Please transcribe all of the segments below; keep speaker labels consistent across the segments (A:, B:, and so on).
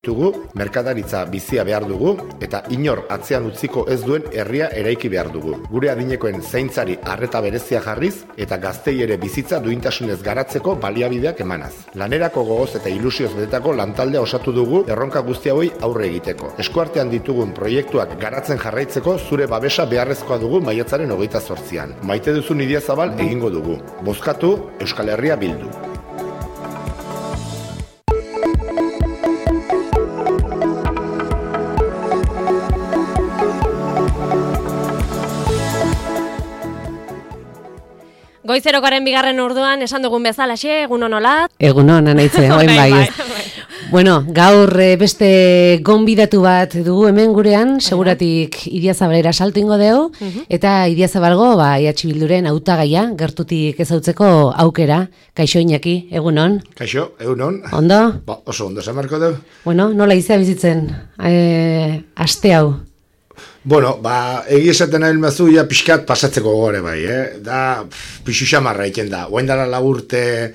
A: dugu, merkataritza bizia behar dugu eta inor atzean utziko ez duen herria eraiki behar dugu. Gure adinekoen zaintzari arreta berezia jarriz eta gaztei ere bizitza duintasunez garatzeko baliabideak emanaz. Lanerako gogoz eta ilusioz betetako lantaldea osatu dugu erronka guzti hauei aurre egiteko. Eskuartean ditugun proiektuak garatzen jarraitzeko zure babesa beharrezkoa dugu maiatzaren 28an. Maite duzun Idiazabal egingo dugu. Bozkatu Euskal Herria Bildu.
B: Goizerokaren bigarren orduan esan dugun bezalaxe, egunon olat.
C: Egunon, anaitze, oin bai. Bueno, gaur beste gonbidatu bat dugu hemen gurean, seguratik Idiazabalera salto ingo dugu, eta Idiazabalgo EH Bilduren hautagaia gertutik ezautzeko aukera. Kaixo Iñaki, egunon.
A: Kaixo, egunon.
C: Ondo?
A: Ba, oso ondo, esan marko dugu.
C: Bueno, nola izea bizitzen, aste hau?
A: Bueno, egi esaten nahi mazu, ja pixkat pasatzeko gore bai, da pixu xamarra egiten da. Oain dara urte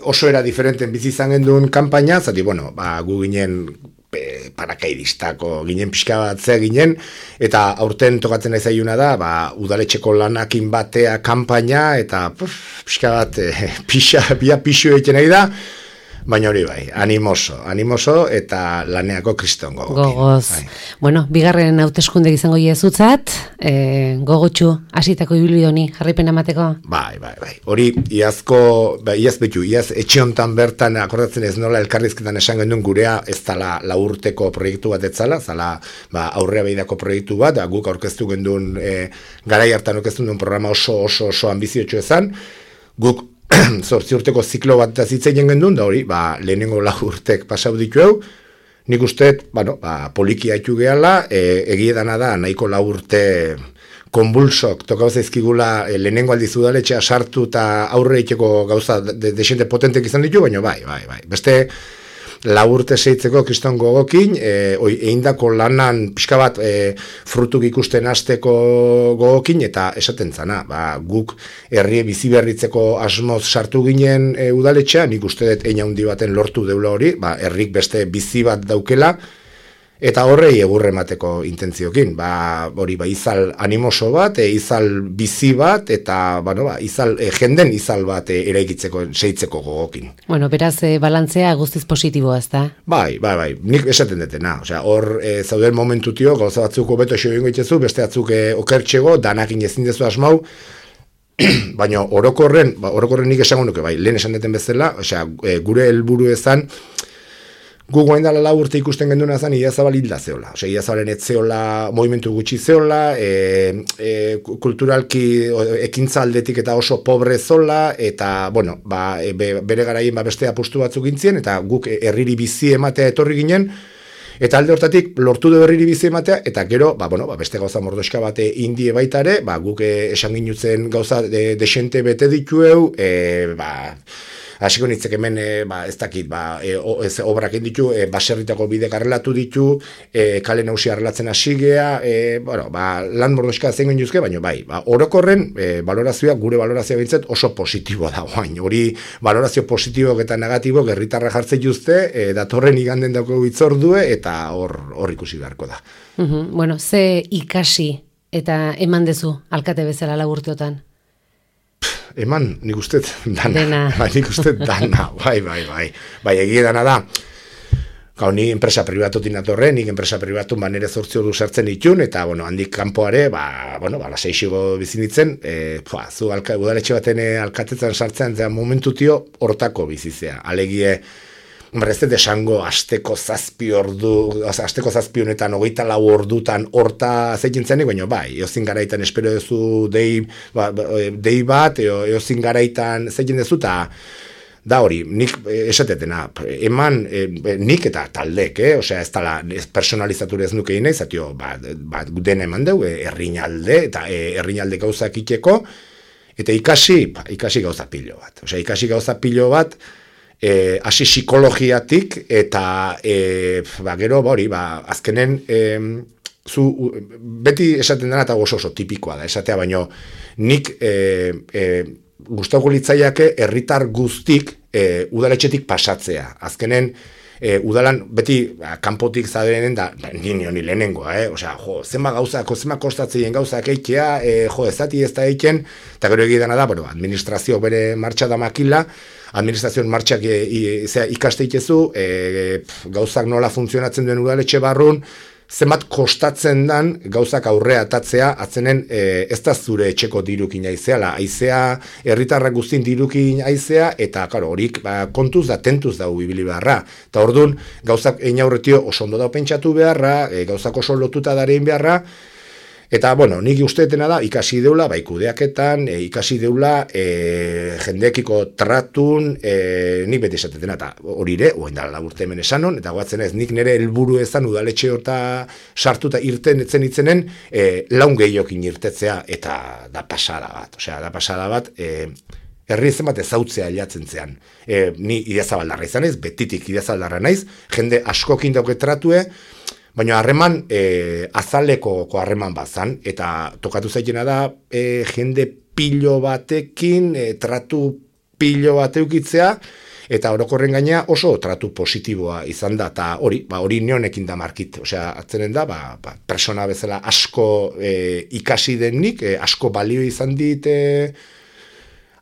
A: oso era diferenten bizi izan genduen kanpaina, zati, bueno, gu ginen parakaidistako ginen pixka bat ze ginen, eta aurten tokatzen nahi zaiuna da, udaletxeko lanakin batea kanpaina, eta pixka bat pixu egiten nahi da, baina hori bai, animoso eta laneako kriston gogokin.
C: Gogoz. Bai. Bueno, bigarren hauteskunde izango iezutzat, gogotxu, hasitako ibili honi, jarraipen amateko?
A: Bai. Hori, iaz etxe hontan bertan akordatzen ez nola elkarrizketan esan genduen gurea ez dala laurteko proiektu bat etzala, zala aurrea behidako proiektu bat, guk aurkeztu genduen, garai hartan aurkeztu genduen programa oso ambiziotxo ezan, guk 8 urteko ziklo bat zitzen gendun, da hori, lehenengo 4 urtek pasau ditu hau, nik usteet, poliki haitu gehala, egiedana da, nahiko 4 urte konbulsok, tokau zaizkigula lehenengo aldiz udaletxea sartu eta aurre egiteko gauza desente potentek izan ditu, baina bai. Beste 4 urte seitzeko kriston gogokin, eindako lanan pixka bat frutuk ikusten hasteko gogokin, eta esaten zana, guk herrie bizi berritzeko asmoz sartu ginen udaletxea, nik uste dut ein handi baten lortu deula hori, herrik beste bizi bat daukela, eta horrei egurre emateko intentziokin, hori izal animoso bat, izal bizi bat, eta jenden izal bat eraikitzeko, seitzeko gogokin.
C: Bueno, beraz, balantzea guztiz positiboa, ez da? Bai,
A: nik esaten detena, hor zauden momentutio, gauza batzuk beto xo ingo itxezu, beste batzuk okertxego, danakin ezin dezu asmau, baina orokorren nik esango nuke, lehen esan deten bezala, gure helburu ezan, gu goain dala 4 urte ikusten genduna zan Idiazabal hilda zeola. Idiazabalen ez zeola, movimentu gutxi zeola, kulturalki ekintza aldetik eta oso pobre zola, eta, bere garaien beste apustu batzuk gintzien, eta guk herriri bizi ematea etorri ginen, eta alde hortatik lortu du herriri bizi ematea, eta gero, beste gauza mordoska bate indie baitare, guk esan ginutzen gauza desente bete ditueu, hasiko nitzek hemen, ez dakit, obrak ditu, baserritako bide garrelatu ditu, kale nausi arrelatzen hasigea, lan mordoska zein ginduzke, baina orokorren valorazioa, gure valorazioa bintzat oso positiboa da guain. Hori valorazio positibok eta negatibok herritarra jartzen juzte, datorren iganden dauko hitzordue, eta hor ikusi beharko da.
C: Bueno, ze ikasi eta eman dezu alkate bezala 4 urteotan?
A: Eman, nik uste dana. Nik uste dana, bai, egia dana da. Ni enpresa pribatutin atorre, nik enpresa pribatu nire 8 ordu sartzen ditun, eta, handik kanpoare, laseixigo bizinitzen, zu udaletxe baten alkatetzen sartzen, momentutio hortako bizizea. Alegie, ez dut esango asteko 7 honetan 24 ordutan horta zeitzen zenik, baina eozin garaitan espero duzu dei bat, eozin garaitan zeitzen duzu, eta da hori, nik esatetena, eman nik eta taldek, ez dala personalizatu ez nuke inaiz, dena eman dugu, herrinalde, eta herrinalde gauzak ikeko, eta ikasi gauza pilo bat, hasi psikologiatik, eta gero, azkenen, beti esaten dena eta oso tipikoa da, esatea, baino nik gustatuko litzaiake herritar guztik udaletxetik pasatzea. Azkenen, udalan beti kanpotik zadenen da ni lehenengoa, osea, zenba kostatzen gauzak eitea, ezati ez da eiken, eta gero egidana da, administrazio bere martxa da makila, administrazioen martxak ikaste itezu, gauzak nola funtzionatzen duen udaletxe barrun, zenbat kostatzen dan gauzak aurrea atatzea, atzenen ez da zure etxeko dirukin aizeala, aizea, herritarrak guztin dirukin aizea, eta horik kontuz da, tentuz da ubibili beharra. Eta orduan, gauzak egin aurretio oso ondo da pentsatu beharra, gauzak oso lotuta darein beharra, eta, nik usteetena da, ikasi deula, kudeaketan, ikasi deula, jendeekiko tratun, nik beti esatetena, eta horire, oain dala urte hemen esanon, eta guatzen ez, nik nire helburu ezan udaletxe horta sartuta irten etzen itzenen, laun gehiokin irtetzea, eta da pasada bat, herri zen bat ezautzea hilatzen zean. Ni Idiazabaldarra izan ez, betitik Idiazabaldarra naiz, jende askokin dauke tratue, baina harreman azaleko harreman bazan, eta tokatu zaitena da jende pilo batekin, tratu pilo bateukitzea, eta orokorren gaina oso tratu positiboa izan da, eta hori neonekin da markit, osea, atzenen da, persona bezala asko ikasi denik, asko balio izan dit,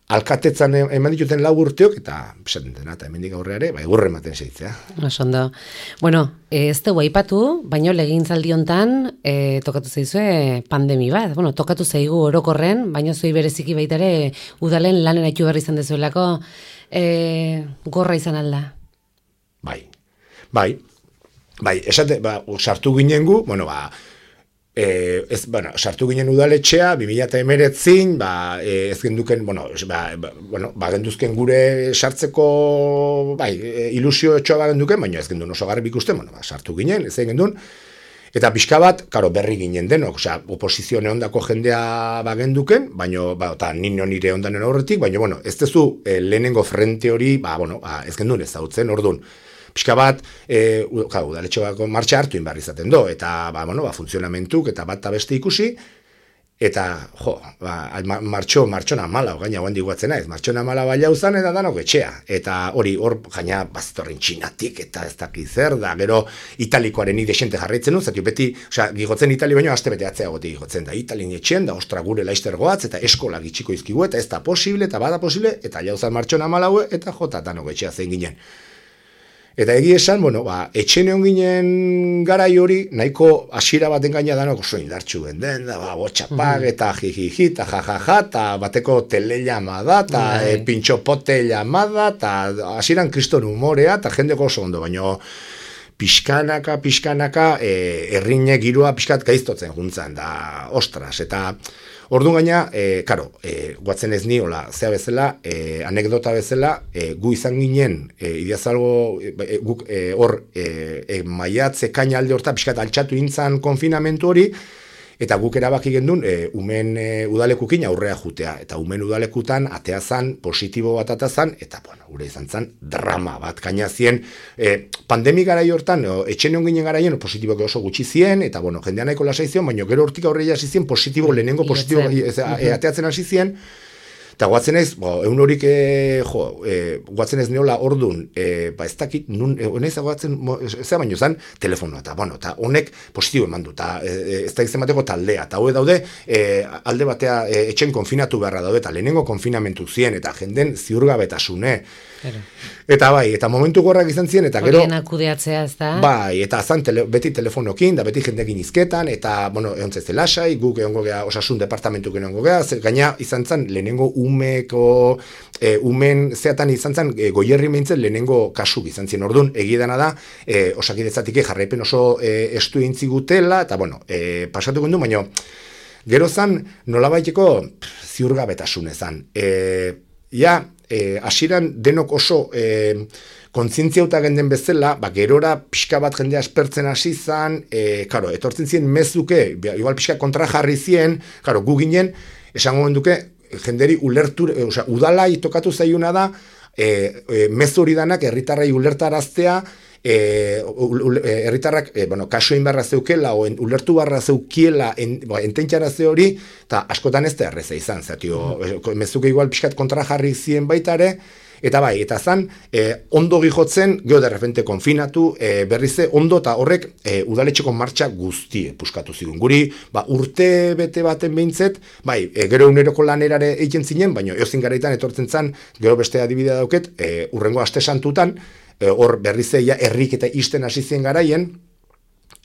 A: alkatetzan eman dituten 4 urteok, eta esaten dena, eta hemendik aurreare, egurre ematen zeitzea.
C: Osondo. Bueno, ez dugu aipatu, baino legintzaldi hontan tokatu zaizue pandemi bat. Bueno, tokatu zaigu orokorren, baino zuei bereziki baita ere udalen lanen aitu berri izan dezuelako gorra izan alda.
A: Bai, esate, sartu ginen gu, sartu ginen udaletxea, 2019, ez genduken, genduzken gure sartzeko, ilusio etxoa genduken, baina ez gendun oso garbi ikusten, sartu ginen, ez gendun, eta pixka bat, berri ginen denok, oposizione ondako jendea genduken, baina, eta nire ondanen aurretik, baina, ez tezu lehenengo frente hori, ez gendun ez dautzen, orduan, pixka bat, udaletxoako martxa hartu inbarri izaten do, eta, funtzionamentuk, eta bat beste ikusi, eta, martxona mala, gaina guan diguatzen naiz, martxona mala baila uzan, eta danok etxea, eta hor, gaina, bazitorren txinatik, eta ez daki zer, da, gero, italikoaren idexente jarraitzen du, zati beti, gigotzen itali baino, aste bete atzea goti gigotzen, da, italin etxen, da, ostra gure laizter goatz, eta eskola gitxiko izkigu, eta ez da posible, eta bada posible, eta jauzan martxona mala eta jota danok etxea zein ginen. Eta egia esan, etxene ginen garai hori, nahiko hasiera baten gaina danok oso indartxu genden, botxapak, eta jijiji, eta jajaja, eta bateko telelama da, eta pintxopote llamada, eta hasieran kriston humorea, eta jendeko oso ondo, baina pixkanaka, errinek girua pixkat gaiztotzen juntzan, da, ostras, eta orduan gaina, guatzen ez ni, zea bezala, anekdota bezala, gu izan ginen, Idiazalgo, guk hor, maiatze kaina alde horta, pixkat altxatu intzan konfinamentu hori, eta guk erabaki gendun, umen udalekukin aurrea jutea, eta umen udalekutan ateazan, positibo bat atazan, eta, gure izan zan, drama bat kainazien, pandemi garai hortan, etxene ginen garaien, positibok oso gutxi zien, eta, jendean nahiko lasai zion, baina gero hortik aurreia hasi zien, positibo, lehenengo positibo, ateatzen hasi zien, eta guatzen ez, egun horik, guatzen ez neola ordun, ez dakit, honez guatzen, ez da baino zan, telefonoa, eta honek positibo eman du, eta ez da izan bateko taldea, eta hau daude, alde batea etxen konfinatu beharra daude, eta lehenengo konfinamentu zien, eta jenden ziurgabetasune, eta eta momentu gorrak izan ziren, eta gero...
C: Horien akudeatzea, ez da?
A: Eta zan beti telefonokin, da beti jendekin izketan, eta, egon zezte lasai, guk egongo geha, osasun departamentuk egongo geha, gaina izan zan lehenengo umen zeatan izan zen goierri meintzen lehenengo kasuk izan zien. Orduan, egidana da, osakidetzatik jarraipen oso estu intzi gutela, eta pasatu gendu, baina gero zan nolabaiteko ziurgabetasun ezan. Hasieran denok oso kontzientziauta genden bezala, gerora pixka bat jendea espertzen hasi zan, etortzen ziren mezuke, igual pixka kontra jarri zien, gu ginen, esango genduke, jenderi udalai tokatu zaiuna da, mezu hori danak herritarrai ulertaraztea, herritarrak kaso egin barra zeukela, ulertu barra zeukiela, ententxara ze hori, eta askotan ez da erreza izan, mezuke igual pixkat kontra jarri zien baitare, Eta bai, eta zan, ondo gijotzen, geho de repente konfinatu, berrize, ondo eta horrek udaletxeko martxa guztie puskatu zigun. Guri, urte bete baten behintzet, bai, gero uneroko lanerare egiten zinen, baina eozin garaitan etortzen zan, gero beste adibidea dauket, urrengo aste santutan, hor berrize herrik eta isten hasi zien garaien,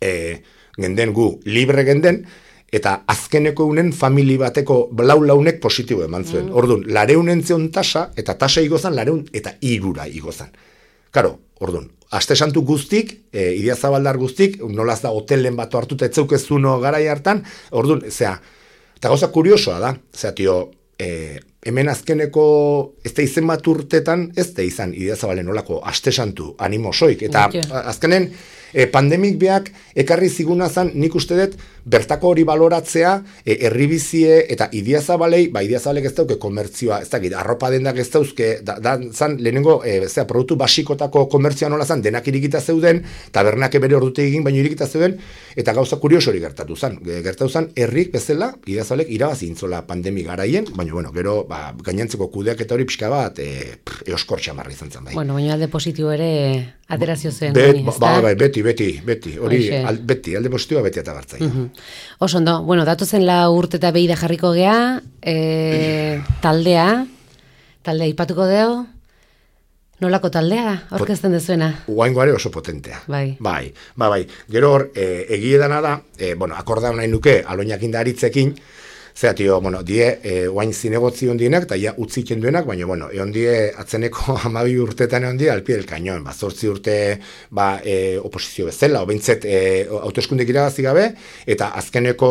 A: genden gu libre genden, eta azkeneko unen famili bateko launek positibo eman zuen. Orduan, 200 zeon tasa, eta tasa igozan 200 eta 3 igozan. Karo, orduan, aste santu guztik, Idiazabaldar guztik, nolaz da hotelen bat hartuta etzeukezuno garai hartan, orduan, eta gauza kuriosoa da, hemen azkeneko ez da izen bat urtetan, ez da izan Idiazabalen nolako aste santu animosoik, eta azkenen pandemik beak ekarri ziguna zan, nik uste dut bertako hori baloratzea, herribizie eta Idiazabalei, Idiazabalek ez dauke komertzioa, ez dakit, arropa dendak ez dauzke, zan lehenengo, produktu basikotako komertzioa nola zan, denak irikita zeuden, tabernak bere ordute egin, baino irikita zeuden, eta gauza kurioso hori gertatu zan. Gertatu zan, herrik bezala, Idiazabalek irabazi intzola pandemi garaien, baina, gero, gainantzeko kudeak eta hori pixka bat, eoskor txamarri izan zen, bai.
C: Bueno, baina alde positibo ere aterazio zen.
A: Beti, hori, beti, alde positiboa beti eta bartzai.
C: Oso ondo, bueno, datozen 4 urte eta behi da jarriko gea, taldea ipatuko deo, nolako taldea, orkesten dezuena?
A: Uaingoare oso potentea.
C: Bai.
A: Gero hor, egie dana da, akorda nahi nuke, aloinak indaritzekin, zera, oain zinegotzion dienak, eta ja utziken duenak, baina, egon die, atzeneko 12 urtetan egon die, alpie del kañon, 8 urte, oposizio bezala, obeintzet, autoeskundek irabazi gabe, eta azkeneko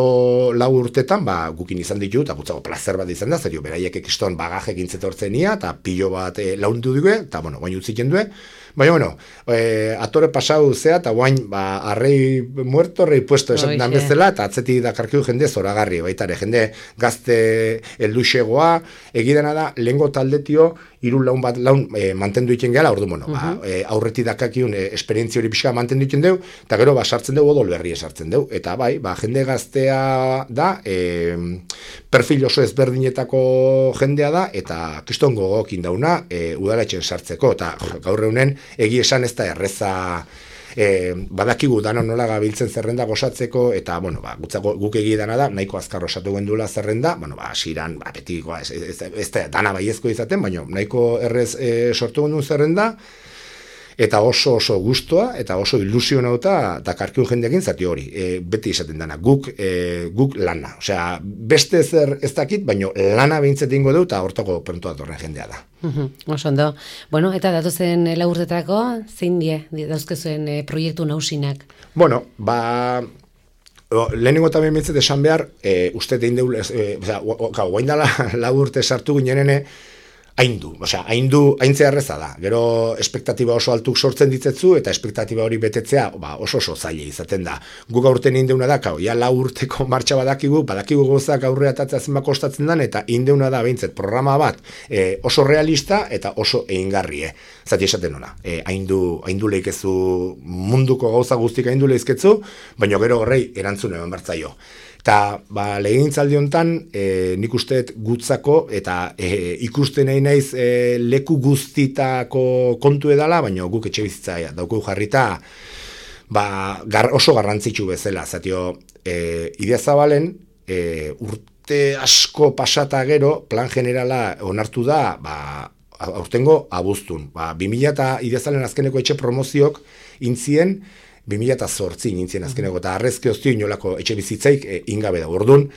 A: 4 urtetan, gukin izan ditu, eta gutzago plazer bat izan da, zerio, beraiek ekiston bagaje gintzetortzenia, eta pilo bat laundu dugu, eta, oain utziken due, baina, atore pasau zea, eta guain, arrei muerto, rei puesto esaten dan bezala, eta atzetik dakarkiu jende zoragarri, baitare, jende gazte elduxegoa, egidana da, lehengo taldetio, 3 laun mantendu iten gehala, ordu, aurreti dakakiun esperientzia hori pixka mantendu iten deu, eta gero, sartzen deu, odol berri esartzen deu, eta bai, jende gaztea da, perfil oso ezberdinetako jendea da, eta kriston gogokin dauna, udaletxen sartzeko, eta gaur eunen, egi esan ez da erreza, badakigu dano nola gabiltzen zerrenda gozatzeko, eta, guk egi dana da, nahiko azkar osatu gendula zerrenda, asiran, beti, ez da, dana baiezko izaten, baina nahiko errez sortu gendun zerrenda, eta oso gustoa, eta oso ilusio nauta, dakarkiun jendeekin zati hori, beti izaten dana, guk lana, osea, beste zer ez dakit, baina lana behintzet ingo du, eta hortako pronto datorren jendea da.
C: Oso ondo. Bueno, eta datozen 4 urtetarako, zein dauzkezuen proiektu nausinak?
A: Bueno, lehenengo eta behintzet esan behar, uste tein deul, guain dala 4 urte sartu ginenene, haintzea erreza da. Gero espektatiba oso altuk sortzen ditzetzu, eta espektatiba hori betetzea oso zaila izaten da. Guk aurten indeuna da, 4 urteko martxa badakigu gozak aurrea atatzea zenbako kostatzen dan, eta indeuna da behintzet programa bat oso realista eta oso egingarrie. Zati esaten ona, haindu leikezu munduko gauza guztik haindu leizketzu, baina gero horrei erantzun eman bartzaio. Eta legegintzaldi honetan, nik usteet gutzako, eta ikusten nahi naiz leku guztitako kontu edala, baina guk etxe bizitza dauku jarrita oso garrantzitsu bezala. Zatio, Idiazabalen urte asko pasata gero, plan generala onartu da, aurtengo abuztun. 2000 eta Idiazabalen azkeneko etxe promozioak intzien, 2008 nintzen azkeneko, eta arrezke oztio inolako etxe bizitzaik ingabe da. Orduan,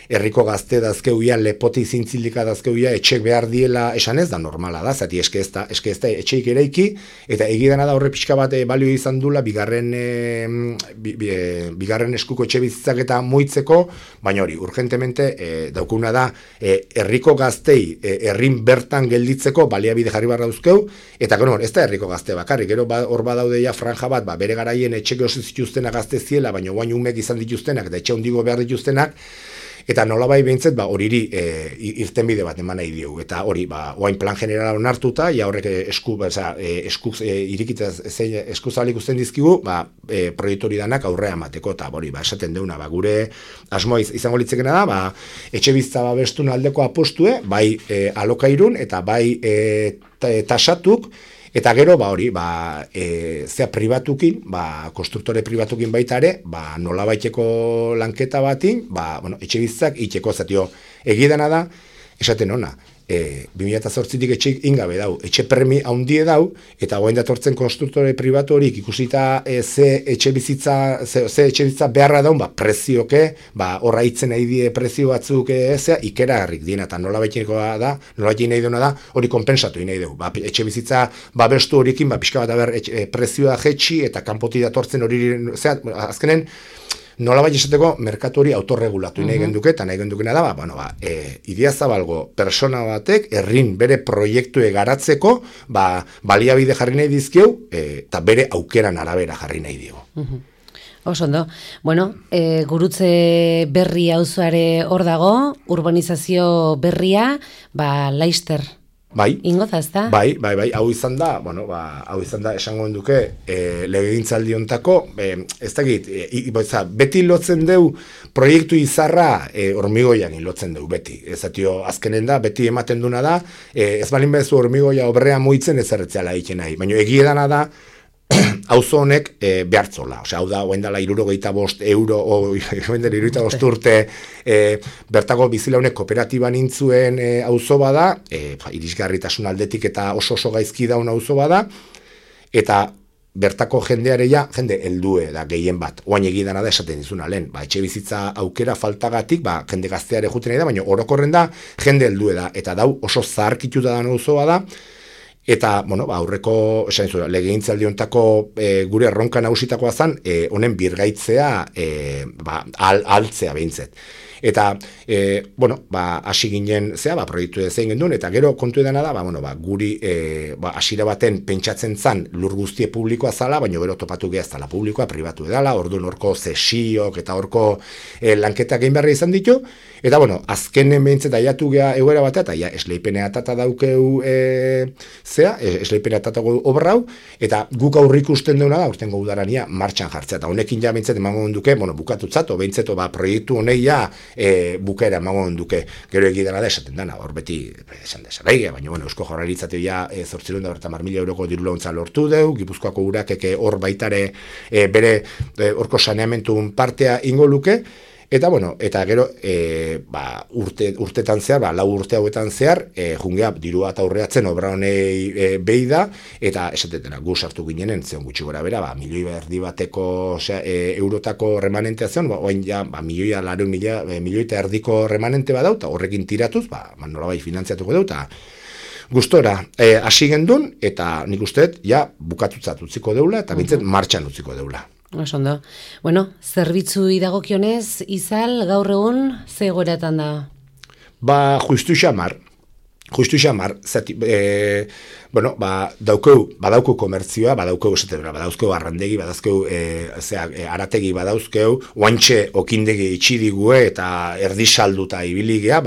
A: herriko gazte dazkeuia, lepoti zintzilika dazkeuia, etxek behar diela esan ez da normala da, zati eske ez da etxeik eraiki, eta egidana da horre pixka bat balio izan dula bigarren eskuko etxe bizitzak eta moitzeko, baina hori, urgentemente daukuna da, herriko gaztei, herrin bertan gelditzeko baliabide jarri barra dauzkeu, eta gero, ez da herriko gazte bakarrik, gero hor badaude ja franja bat, bere garaien etxeke oso zituztenak gazte ziela, baina guain umek izan dituztenak, eta etxe hondigo behar dituztenak, eta nolabai behintzet, horiri irtenbide bat eman nahi diogu, eta hori, oain plan generala onartuta, ja horrek eskuzabalik usten dizkigu, proiektu hori danak aurrea emateko, eta hori, esaten deuna, gure asmoa izango litzekena da, etxe bizitza babestun aldeko apostue, bai alokairun, eta bai tasatuk, eta gero, hori, zea pribatukin, konstruktore pribatukin baita ere, nolabaiteko lanketa batin, etxe bizitzak itxeko, zatio, egidana da, esaten ona, 2008tik etxe ingabe dau, etxe permi haundie dau, eta goen datortzen konstruktore pribatu horik ikusita ze etxe bizitza beharra daun, prezioke, horra itzen nahi die prezio batzuk ikera harrik diena, eta nola baitin nahi duena da, hori konpensatu nahi dugu. Etxe bizitza babestu horikin, pixka bat aber prezioa jetxi, eta kanpoti datortzen hori, azkenen, nola bai esateko, merkatu hori autorregulatu nahi genduke, eta nahi gendukena da, Idiazabalgo persona batek, herrin bere proiektue garatzeko, baliabide jarri nahi dizkieu, eta bere aukeran arabera jarri nahi digu.
C: Osondo. Bueno, gurutze berri auzoare hor dago, urbanizazio berria, Laister.
A: Bai,
C: ingoza, ez da?
A: Bai, hau izan da, esango duke, legegintzaldi hontako, ez dakit, beti lotzen deu, proiektu izarra hormigoian lotzen deu, beti. Ezatio, azkenen da, beti ematen duna da, ez balin bezu hormigoia obrea muitzen ez erretzeala egiten nahi, baina egiedana da, auzo honek behartzola, hau da, oen dela €65 urte bertako bizilaunek kooperatiban intzuen auzo bada, irisgarritasun aldetik eta oso gaizki daun auzo bada, eta bertako jendeareia, jende heldue da gehien bat, oain egidana da esaten dizuna lehen, etxe bizitza aukera faltagatik, jende gazteare juten nahi da, baina orokorren da, jende heldue da, eta dau oso zaharkituta da auzo bada, eta, aurreko, legegintzaldi hontako gure erronka nagusitakoa zen, honen birgaitzea, altzea behintzet. Eta, hasi ginen, proiektu zein gendun, eta gero kontu edana da, guri hasiera baten pentsatzen zan lur guztie publikoa zala, baina gero topatu geha zala publikoa, pribatu edala, orduan horko zesiok eta horko lanketak egin beharra izan ditu, eta, azkenen behintzet aiatu geha egoera batea, eta esleipenea atata daukeu esleipenea atata obrau, eta guk aurrik usten deuna da, urtengo udarania martxan jartzea, eta honekin ja behintzet emango duke, bukatutzat, o behintzet, proiektu honeia bukaera emango duke, gero egidana da esaten dana, hor beti esan desarraige, baina Eusko Jaurlaritzateo ja 850.000 euroko diru laguntza lortu deu, Gipuzkoako urakeke hor baitare bere horko saneamentun partea ingo luke, eta eta gero urtetan zehar, 4 urte hauetan zehar, jungea dirua eta aurreatzen obra honei behi da, eta esatetena gu sartu ginenen, zion gutxi gora bera, milioi bateko eurotako remanentea zion, oain ja, milioi eta erdiko remanente badau, eta horrekin tiratuz, nola bai finantziatuko dau, eta gustora hasi gendun, eta nik usteet, ja, bukatutzat utziko deula, eta bintzet martxan utziko deula.
C: Osondo. Zerbitzu idagokionez, Izal, gaur egun, ze egoeratan da?
A: Justu xamar, badauko komertzioa, badauzkeu arrandegi, badauzkeu arategi badauzkeu, oantxe okindegi itxidigue eta erdisalduta ibiligea,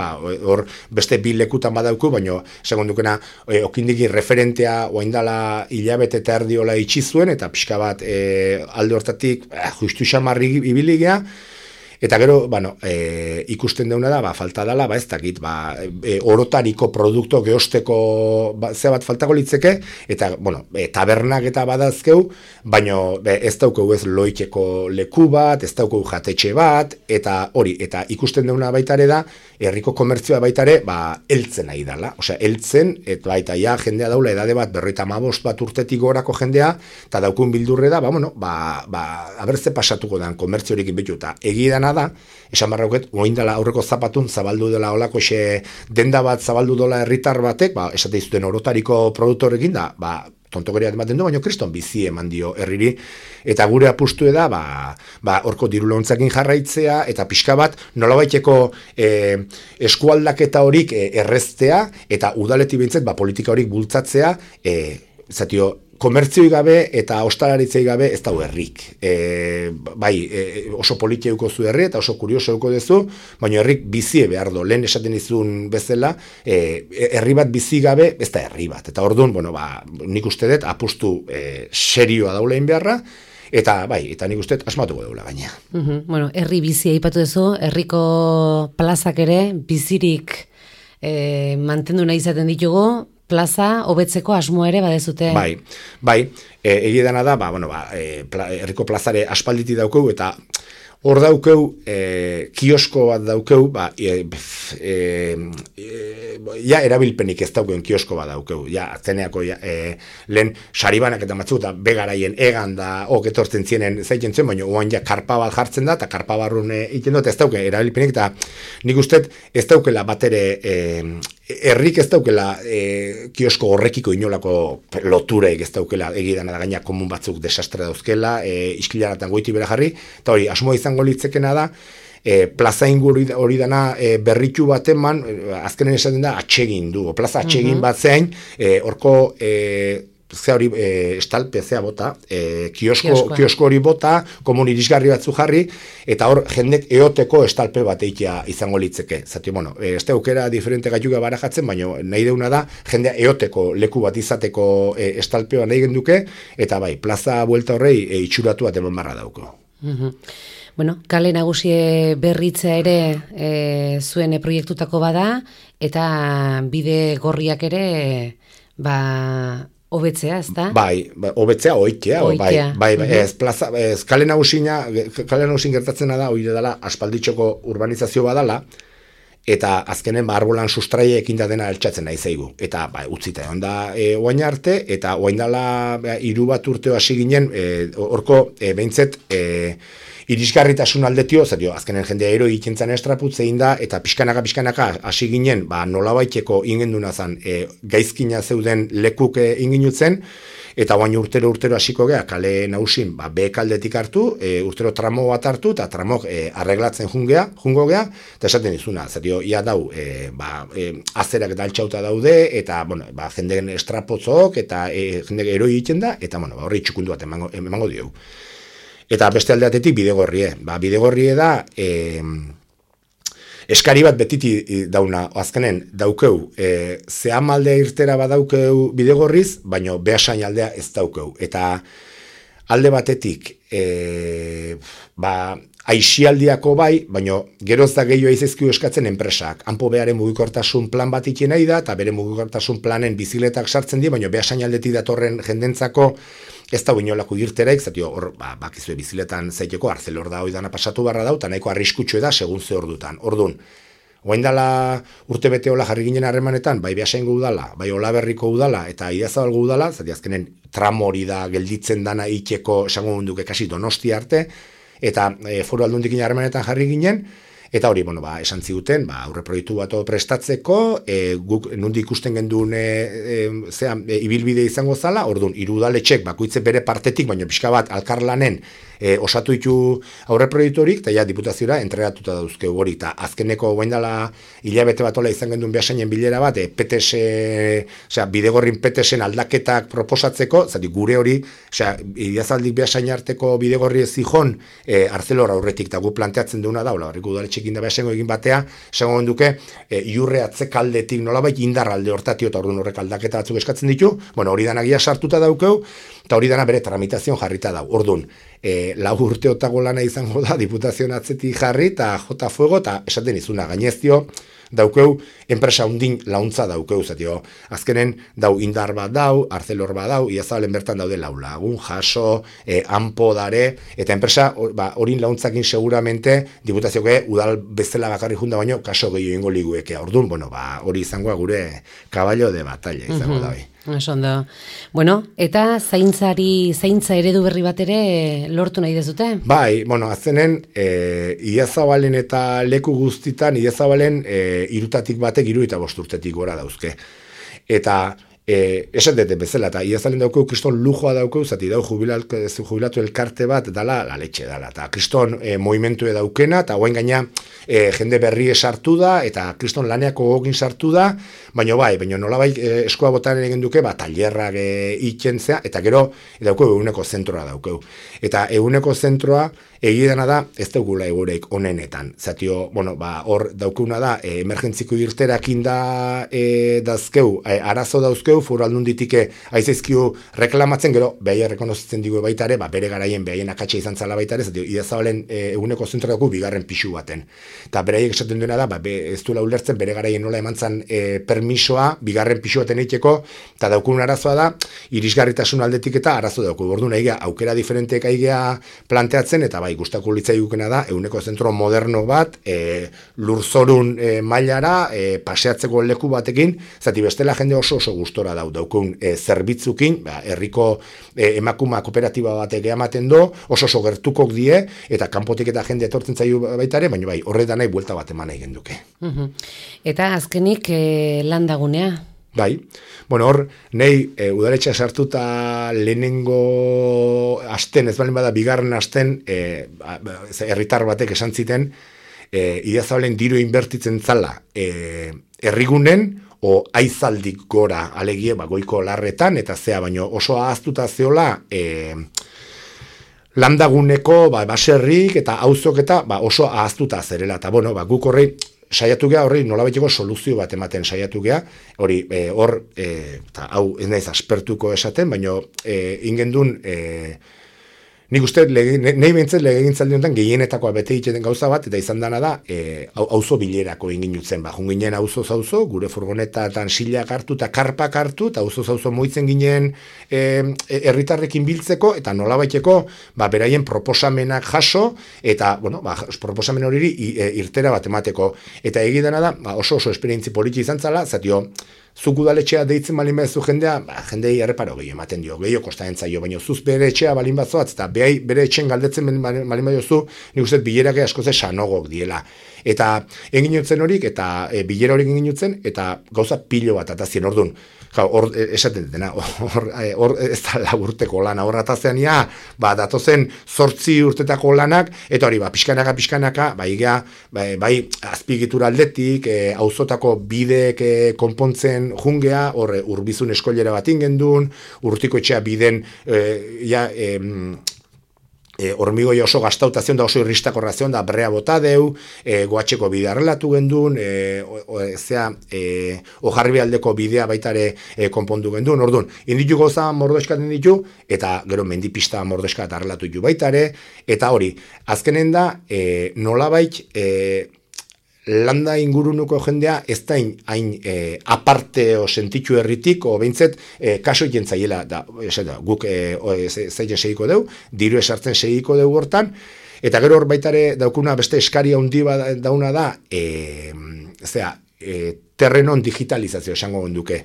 A: hor beste bi lekutan badauko, baina segundukena okindegi referentea oaindala hilabete eta erdiola itxizuen, eta pixka bat alde hortatik justu xamarri ibiligea. Eta gero, ikusten deuna da, falta dela, ez dakit, orotariko produkto geosteko ze bat faltako litzeke, eta, tabernak eta badazkeu, baina ez daukeu ez loikeko leku bat, ez daukeu jatetxe bat, eta hori, eta ikusten deuna baitare da, herriko komertzioa baitare, heltzen nahi dela. Osea, heltzen, eta ja, jendea daula edade bat, 55 bat urtetik gorako jendea, eta daukun bildurre da, abertze pasatuko dan komertzio horikin betu, eta egidana da, esan barrauket, oindala aurreko zapatun zabaldu dela olako denda bat zabaldu dola herritar batek, esate izuten orotariko produktorekin da, tontokeria ematen du, baina kriston bizi eman dio herriri, eta gure apustu da, horko diru launtzakin jarraitzea, eta pixka bat, nolabaiteko eskualdaketa horik erreztea, eta udaleti bintzet, politika horik bultzatzea, zatio, komertzioi gabe eta ostalaritzei gabe ez dago herrik. Oso politieuko zu herri eta oso kurioseuko duzu, baina herrik bizie behar do. Lehen esaten izun bezala, herri bat bizi gabe ez da herri bat. Eta orduan, nik uste dut apustu serioa daulein beharra, eta nik uste asmatuko daula gaina.
C: Herri bizia aipatu duzu, herriko plazak ere bizirik mantendu nahi izaten ditugu, plaza hobetzeko asmo ere badezute.
A: Egia dana da, herriko plazare aspalditi daukeu, eta hor daukeu, kiosko bat daukeu, erabilpenik ez daukeen kiosko bat daukeu, zeneako lehen saribanak eta matzu, eta begaraien egan da, etortzen zienen zaiten zuen, baina oan karpa bat jartzen da, eta karpa barrun egiten dut, ez dauke erabilpenik, eta nik uste ez daukela batere, herrik ez daukela kiosko horrekiko inolako lotureik ez daukela egidan da gaina komun batzuk desastre dauzkela, iskilaratan goiti bera jarri, eta hori, asmoa izango litzekena da, plaza inguru hori dana berritu bat eman, azkenen esaten da, atsegin du, plaza atsegin bat zein, horko estalpe bota, kiosko hori bota, komun irisgarri batzu jarri, eta hor jendek eoteko estalpe bat eitea izango litzeke. Zati, ez aukera diferente gaiuga barajatzen, baina nahi deuna da, jendea eoteko leku bat izateko estalpea nahi genduke, eta plaza buelta horrei itxuratu bat eman barra dauko.
C: Kale nagusie berritzea ere zuen proiektutako bada, eta bide gorriak ere, hobetzea, ez da?
A: Hobetzea, oitea. Ez kale nagusin gertatzena da, hori dela, aspalditxoko urbanizazio badala, eta azkenen arbolan sustraie ekin da dena altxatzen nahi zaigu. Eta utzita egon da oain arte, eta oain dela 3 bat urteo hasi ginen, horko behintzet, irisgarritasun aldetio, azkenen jendea ero ikentzan estraputzein da, eta pixkanaka hasi ginen, nolabaiteko ingenduna zan, gaizkina zeuden lekuk inginutzen, eta baina urtero hasiko gea, kale nausin, behekaldetik hartu, urtero tramo bat hartu, eta tramok arreglatzen jungo gea, eta esaten dizuna, ia dau, azerak eta altxauta daude, eta, jendeen estrapotzok, eta jendek eroi egiten da, eta, horri txukundu bat emango diogu. Eta beste aldeatetik bidegorrie. Bidegorrie da, eskari bat betiti dauna, azkenen, daukeu, zehamaldea irtera badaukeu bidegorriz, baina behasain aldea ez daukeu. Eta alde batetik, aixialdiako baina geroz da gehiago izizkiu eskatzen enpresak. Hanpo beharen mugikortasun plan bat ikien nahi da, eta bere mugikortasun planen biziletak sartzen di, baina behasain aldetik datorren jendentzako ez da inolako irteraik, hor, bakizue biziletan zaiteko, arzelor da hori dana pasatu barra dau, eta nahiko arriskutsu da, segun ze ordutan. Orduan, oain dala urte bete hola jarri ginen harremanetan, bai Beasaingo udala, bai Olaberriko udala, eta Idiazabalgo udala, azkenen tramo hori da gelditzen dana itxeko, esango munduke kasi Donostia arte, eta foru aldundikin harremanetan jarri ginen, eta hori, esan ziguten, aurre proiektu bat prestatzeko, guk nundi ikusten genduen ibilbide izango zala, orduan, 3 udaletxek bakoitze bere partetik, baina pixka bat alkarlanen osatu ditu aurre proiektu horik, eta diputazioa entregatuta dauzkeu hori, eta azkeneko guaindala hilabete bat ola izan genduen Beasainen bilera bat, bidegorrin PTS-en aldaketak proposatzeko, gure hori, Idiazaldik Beasain arteko bidegorri ez zijon, Arcelor aurretik, eta gu planteatzen duna da, horreko udaletxekin da Beasaingo egin batea, esango duke, iurre atzekaldetik nolabait indarralde hortatio, eta orduan horrek aldaketa batzuk eskatzen ditu, hori danagia sartuta daukeu, eta hori dana bere tramitazion jarrita dau. Orduan, 4 urteotako lana izango da, diputazioan atzetik jarri, eta jota fuego, eta esaten izuna, gaineztio, daukeu, enpresa undin launtza daukeu, azkenen dau indar bat dau, Arcelor bat dau, Idiazabalen bertan daude Laulagun, Jaso, Anpo dare, eta enpresa horin launtzakin seguramente diputazioke udal bezala bakarri junda baino, kaso gehiago ingo ligueke. Orduan, hori izangoa gure kaballo de batalla izango da.
C: Osondo. Eta zaintza eredu berri bat ere lortu nahi dezute?
A: Azkenen, Idiazabalen eta leku guztitan, Idiazabalen 3 batek 75 urtetik gora dauzke. Eta esan dute bezala, eta iazalen daukeu kriston lujoa daukeu, zati dau jubilatu elkarte bat, dala la letxe dala, eta kriston movimentu daukena, eta guain gaina jende berri sartu da, eta kriston laneako gogin sartu da, baina nolabait eskua botan egin duke, tailerrak ikentzea, eta gero daukeu eguneko zentroa daukeu. Eta eguneko zentroa egidana da, ez daugula egureik onenetan. Zatio, hor daukuna da, emergentziko irterakin da dazkeu, arazo dauzkeu, foru aldunditike aizaizkiu reklamatzen, gero behai errekonozitzen digu baitare, bere garaien behaien akatxe izan zala baitare, zatio, idazabalen eguneko zentroa dugu bigarren pixu baten. Eta beraiek esaten duena da, ez duela ulertzen, bere garaien nola emantzan permisoa, bigarren pixu baten eiteko, eta daukun arazoa da, irisgarritasun aldetik eta arazo dauku. Ordu nahi aukera diferenteek aigea planteatzen, eta gustako litzaigukena da, eguneko zentro moderno bat, lurzorun mailara, paseatzeko leku batekin, zati bestela jende oso gustora daukun zerbitzukin, herriko emakuma kooperatiba batek ematen do, oso gertukok die, eta kanpotik eta jende etortzen zaiu baitare, baina horretan nahi buelta bat eman egin duke.
C: Eta azkenik landagunea?
A: Bai, hor, nahi udaletxea sartuta lehenengo asten, ez balen bada bigarren asten, herritar batek esan ziten, idazabalen diru inbertitzen zala herrigunen, o aizaldik gora alegie goiko larretan, eta zea, baino oso ahaztuta zeola landaguneko baserrik eta auzok eta oso ahaztuta zerela, eta guk horrei, saiatu geha horri nolabaiteko soluzio bat ematen saiatu geha, hori hor, eta hau ez naiz aspertuko esaten, baina ingendun, nik uste, nahi behintzen legegintzaldi honetan gehienetakoa bete egiten gauza bat, eta izan dana da, auzo bilerako inginutzen, junginen auzo-zauzo, gure furgonetatan silak hartu eta karpak hartu, eta auzo-zauzo moitzen ginen herritarrekin biltzeko, eta nolabaiteko, beraien proposamenak jaso, eta, proposamen hori irtera bat emateko. Eta egidana da, oso esperientzi politi izan zala, zatio, zuk udaletxea deitzen balin badezu jendea, jendei erreparo gehiago ematen dio, gehiago kostatzen zaio, baina zuz bere etxea balin bazoatz, eta bere etxen galdetzen balin badozu, nik uste bilerake askoze sanogok diela. Eta enginotzen horik, eta bilera horik enginotzen, eta gauza pilo bat atazien ordun. Hor, esaten dena, hor ez da laburteko lana, hor atazean datozen 8 urtetako lanak, eta hori, pixkanaka, bai azpigitura aldetik, auzotako bidek konpontzen jungea, hor urbizun eskoilera bat ingendun, urtiko etxea biden, hormigoi oso gastautazion da oso irristakor razion da brea bota deu, goatxeko bidea relatu gendun, ojarri aldeko bidea baitare konpondu gendun, orduan, inditu goza mordoeskaten ditu, eta gero mendipista mordoeskat arrelatu ditu baitare, eta hori, azkenen da, nolabait, landa ingurunuko jendea ez da hain aparte o sentitu herritik, o behintzet kaso egin zaiela, guk zaila segiko deu, diru esartzen segiko deu hortan, eta gero hor baitare daukuna beste eskaria handi dauna da, terrenon digitalizazio esango genduke.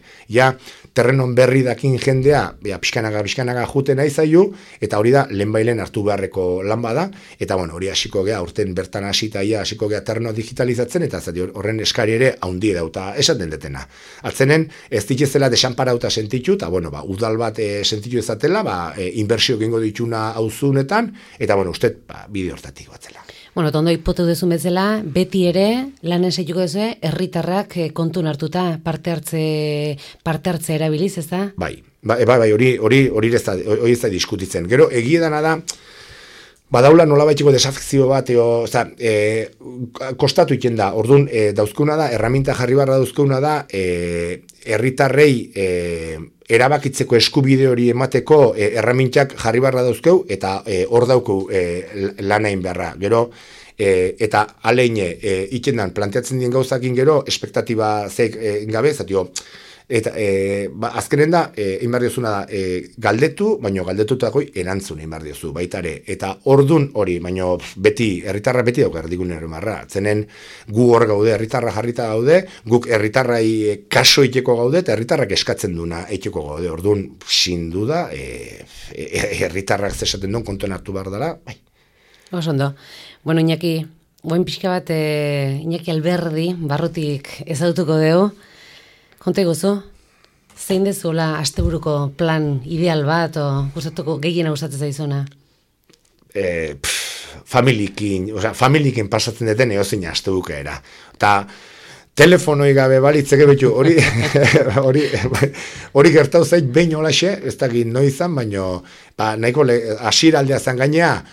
A: Terrenon berri dakin jendea, pixkanaga juten aizaio, eta hori da lehenbailen hartu beharreko lan bada, eta hori hasiko gea, urten bertan hasita hasiko gea terreno digitalizatzen, eta horren eskari ere haundi dauta esaten detena. Atzenen, ez ditezela desanparauta sentitu, eta udal bat sentitu ezatela, inbertsio gengo dituna auzunetan, eta uste bide hortatik batzela.
C: Tondo ipotu duzu bezala, beti ere, lan esaituko duzu, herritarrak kontun hartuta parte hartze erabiliz, ez da? Bai,
A: hori ez da diskutitzen. Gero, egiedana da, badaula nolabaitiko desafizio bat, kostatu iten da, orduan, dauzkuna da, erraminta jarri barra dauzkuna da, herritarrei erabakitzeko eskubide hori emateko erramintak jarri barra dauzkeu, eta hor daukeu lanain beharra. Gero, eta aleine itendan planteatzen dien gauzakin gero, espektatiba zeik gabe, zatio, eta azkenen da, inbardiozuna da, galdetu, baino galdetutako erantzun inbardiozu, baitare, eta ordun hori, baino beti, herritarra beti dauk erdigunen ermarra, zenen gu hor gaude, herritarra jarrita gaude, guk herritarrai kaso iteko gaude, eta herritarrak eskatzen duna iteko gaude, ordun sin duda, herritarrak zesaten duen kontuan hartu behar dela, bai.
C: Osondo. Iñaki, buen pixka bat, Iñaki Alberdi, barrutik ezagutuko dugu, konta iguzu? Zein dezuela asteburuko plan ideal bat, o gustatuko gehiena gustatzen zaizuna?
A: Familiekin pasatzen deten eozina astebukaera. Eta telefonoi gabe balitzeke betu, hori gertau zait behin holaxe, ez dakit noizan, baino nahiko hasieraldea zan gainea,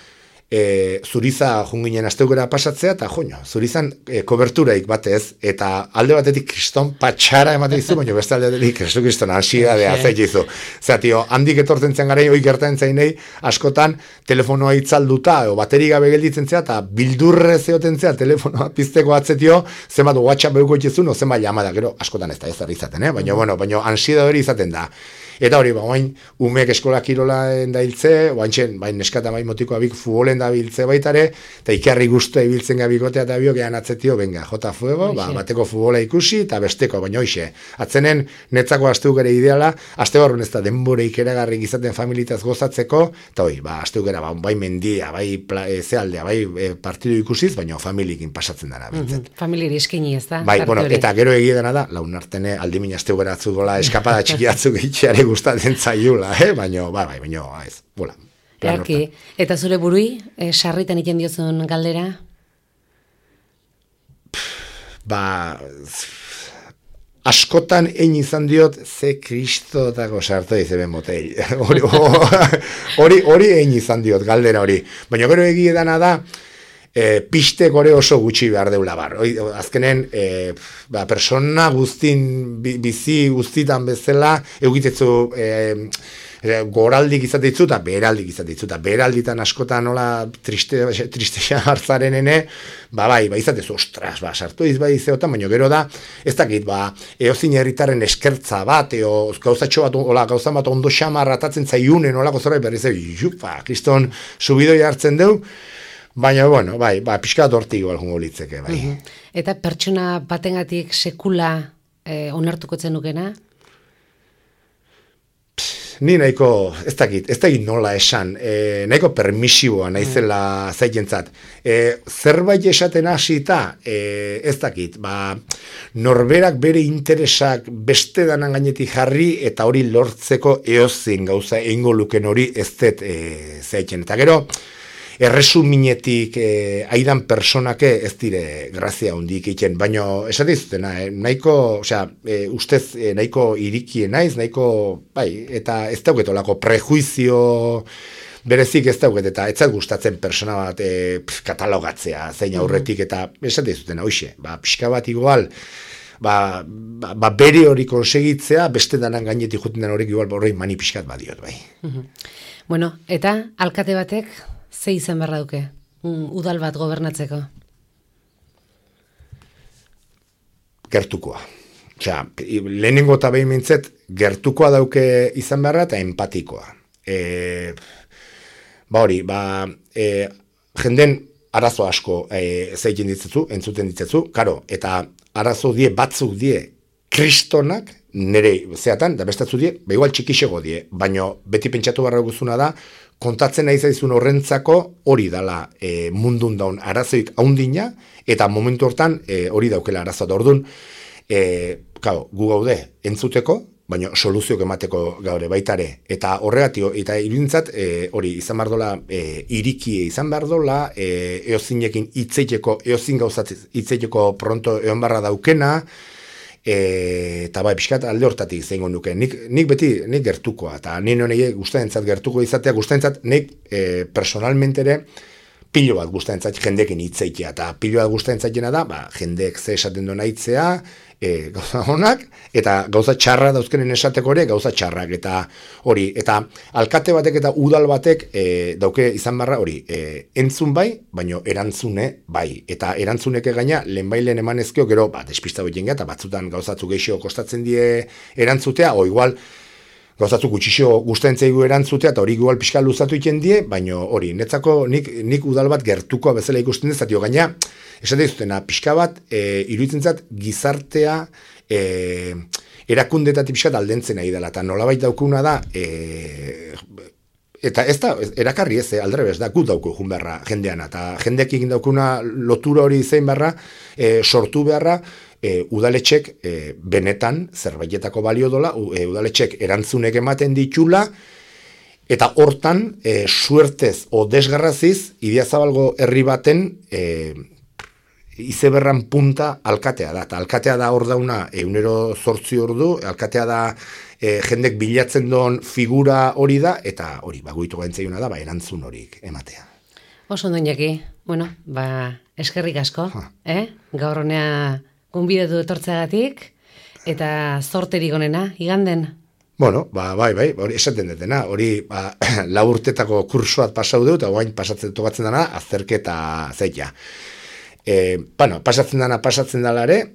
A: zuriza junginen asteukera pasatzea, eta zurizan koberturaik batez, eta alde batetik kriston patxara ematen dizu, baina beste alde batetik kriston ansiedadea zaitizu. Zera, tio, handik etortzen zen gara, hoi gertatzen zainei, askotan telefonoa itzalduta, o bateri gabe gelditzen zea, eta bildurre zeoten zea, telefonoa pizteko atzetio, zenbat WhatsApp beuko itxezun, o zenbat llamada, gero, askotan ez da izaten, baina ansiedade hori izaten da. Eta hori, bain, umeek eskola kirola dailtze, bain neskata bain motiko abik futbolen da biltze baitare, eta ikarri guztua ibiltzen gabikotea eta biok ean atzetio, venga, jota fuego, bateko futbola ikusi, eta besteko, baina hoxe. Atzenen, netzako asteukera ideala, astebarrun ez da denbore ikeragarrik izaten familitaz gozatzeko, eta hoi, asteukera, bai mendia, bai zealdea, bai partidu ikusiz, baina familiekin pasatzen dara, bintzat.
C: Familiari eskini ez da?
A: Bai, eta gero egidena da, launartene aldimin asteukera atzugola eskapada txikiatzuk itxeare gustatzen zaiula, baina, ez, bola.
C: Erki, eta zure burui, sarritan iten diozun galdera?
A: Askotan egin izan diot, ze kristotako sartu izeben botei. Hori egin izan diot, galdera hori. Baina gero egidana da, piste gore oso gutxi behar deula bar. Azkenen, persona guztin, bizi guztitan bezala, eugitetzu goraldik izatitzu eta beheraldik izatitzu. Eta beheralditan askotan nola tristexan hartzaren ene, izatezu, ostras, sartu izbai izeotan, baina gero da, ez dakit, eozin herritarren eskertza bat, gauzatxo bat, gauzan bat ondo xamar ratatzen zaiunen, olako zerbait berriz, kriston subidoi hartzen deu, baina, pixka dortik balgungo litzeke, bai.
C: Eta pertsona batengatik sekula onartuko zenukena?
A: Ni nahiko, ez dakit nola esan, nahiko permisiboa naizela zaikentzat. Zerbait esaten hasita, ez dakit, norberak bere interesak beste danan gainetik jarri, eta hori lortzeko eozin gauza eingo luken hori ez dut zaiken. Eta gero, erresuminetik aidan personake ez dire grazia hundik egiten, baina esate izutena, nahiko, ustez nahiko irikie naiz, nahiko, eta ez dauketolako prejuizio berezik ez dauket, eta ez zait gustatzen persona bat katalogatzea, zein aurretik, eta esate izutena, hoxe, pixka bat igual, bere hori konsegitzea, beste danan gainetik juten den horrek igual horrein mani pixkat badiot, bai.
C: Bueno, eta alkate batek, ze izan berra duke, udal bat gobernatzeko?
A: Gertukoa. Lehenengo eta behin mintzet, gertukoa dauke izan berra eta empatikoa. Jenden arazo asko zeiken ditzetzu, entzuten ditzetzu, karo, eta arazo batzuk die kristonak, nire zeatan, da bestatzu die, igual txikixego die, baina beti pentsatu barra guzuna da, kontatzen nahi zaizun horrentzako hori dala mundun daun arazoik haundina, eta momentu hortan hori daukela arazoa da orduan, gu gaude entzuteko, baina soluzioak emateko gaure baitare, eta horregatio, eta iruditzat hori izan behar dola, irikie izan behar dola, eozinekin eozin gauzat hitzeiteko pronto egon barra daukena, eta pixkat alde hortatik zeingo nuke. Nik beti, nik gertukoa, eta nien honei gustaentzat gertuko izatea, gustaentzat nik personalmente ere pilo bat gustaentzat jendekin hitzeitea, eta pilo bat gustaentzatena da, jendeek ze esaten duen hitzea, gauza honak, eta gauza txarra dauzkenen esateko ere gauza txarrak, eta hori, eta alkate batek eta udal batek dauke izan barra hori, entzun bai, baino erantzune bai, eta erantzuneke gaina lehen emanezkeo gero, despista hori jenga, eta batzutan gauzatzu geixo kostatzen die erantzutea, o igual, gauzatzu gutxixo gustaentzaigu erantzutea, eta hori igual pixka luzatu iten die, baino hori, netzako nik udal bat gertukoa bezala ikusten dezatio, gaina, esate dizutena, pixka bat, iruditzen zat, gizartea, erakundetatik pixka aldentzen nahi dela, eta nolabait daukuna da, eta ez da, erakarri ez, aldrebez da, gut dauku jun beharra jendean, eta jendeak egin daukuna lotura hori zein beharra, sortu beharra, udaletxek benetan zerbaitetako balio dola, udaletxek erantzunek ematen ditula, eta hortan, suertez o desgarraziz, Idiazabalgo herri baten izeberran punta alkatea da. Eta alkatea da hor dauna 108 ordu, alkatea da jendek bilatzen doan figura hori da, eta hori, guitu gaintzaiuna da, erantzun horik ematea.
C: Oso ondo Iñaki, eskerrik asko, gaur honea gonbidatu etortzeagatik, eta zorterik onena, iganden?
A: Bueno, bai, hori esaten detena, hori 4 urtetako kursoat pasau dut, eta guain pasatzen tokatzen dana, azterketa zeita. Pasatzen dala ere,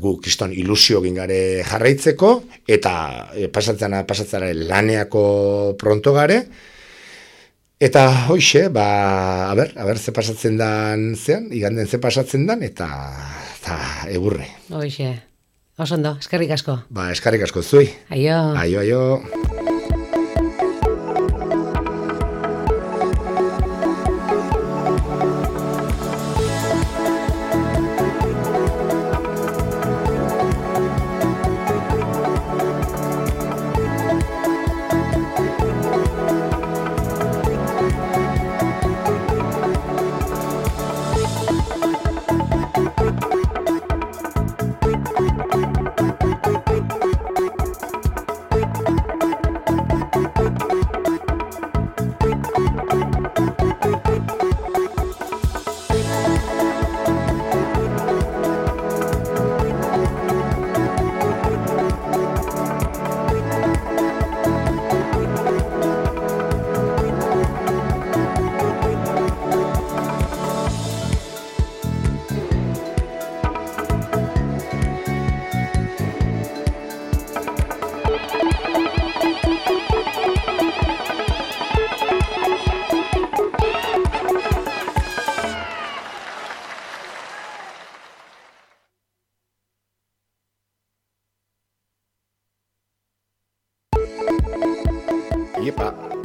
A: gu kriston ilusio gingare jarraitzeko, eta pasatzen laneako pronto gare, eta hoxe, a ber, ze pasatzen dan zean, iganden ze pasatzen dan, eta egurre.
C: Hoxe, oso ondo, eskerrik asko.
A: Eskerrik asko zui.
C: Aio.
A: Aio.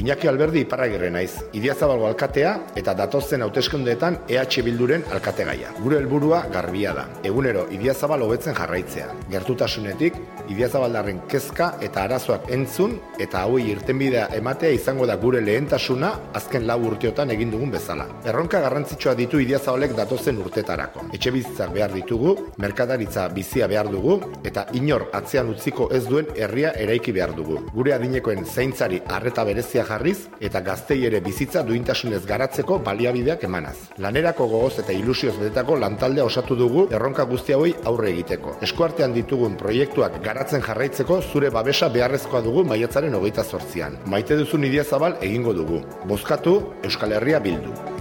A: Iñaki Alberdi Iparragirre naiz, Idiazabalgo alkatea eta datozen hauteskundeetan EH Bilduren alkategaia. Gure helburua garbia da, egunero Idiazabal hobetzen jarraitzea. Gertutasunetik, Idiazabaldarren kezka eta arazoak entzun eta hauei irtenbidea ematea izango da gure lehentasuna azken 4 urteotan egin dugun bezala. Erronka garrantzitsua ditu Idiazabalek datozen urtetarako. Etxebizitzak behar ditugu, merkataritza bizia behar dugu eta inor atzean utziko ez duen herria eraiki behar dugu. Gure adinekoen zaintzari arreta berezia jarriz eta gaztei ere bizitza duintasunez garatzeko baliabideak emanaz. Lanerako gogoz eta ilusioz betetako lantaldea osatu dugu erronka guzti hauei aurre egiteko. Eskuartean ditugun proiektuak garatzen jarraitzeko zure babesa beharrezkoa dugu maiatzaren 28an. Maite duzun Idiazabal egingo dugu. Bozkatu Euskal Herria Bildu.